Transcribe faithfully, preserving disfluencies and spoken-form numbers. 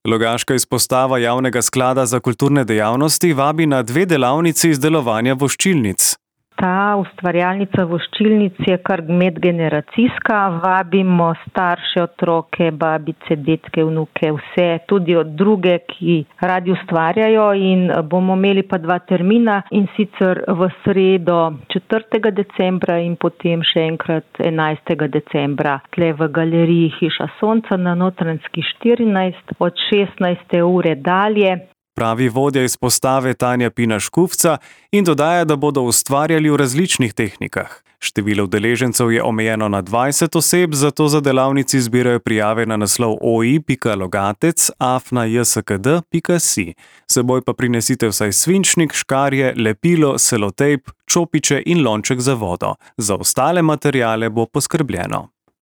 Logaška izpostava Javnega sklada za kulturne dejavnosti vabi na dve delavnici izdelovanja voščilnic. Ta ustvarjalnica voščilnic je kar medgeneracijska, vabimo starše, otroke, babice, detke, vnuke, vse, tudi od druge, ki radi ustvarjajo, in bomo imeli pa dva termina, in sicer v sredo četrtega decembra in potem še enkrat enajstega decembra tle v galeriji Hiša Sonca na Notranjski štirinajst od šestnajste ure dalje. Pravi vodja izpostave Tanja Pina Škufca in dodaja, da bodo ustvarjali v različnih tehnikah. Število udeležencev je omejeno na dvajset oseb, zato za delavnici zbirajo prijave na naslov oi pika logatec afna jskd pika si. S seboj pa prinesite vsaj svinčnik, škarje, lepilo, selotejp, čopiče in lonček za vodo. Za ostale materiale bo poskrbljeno.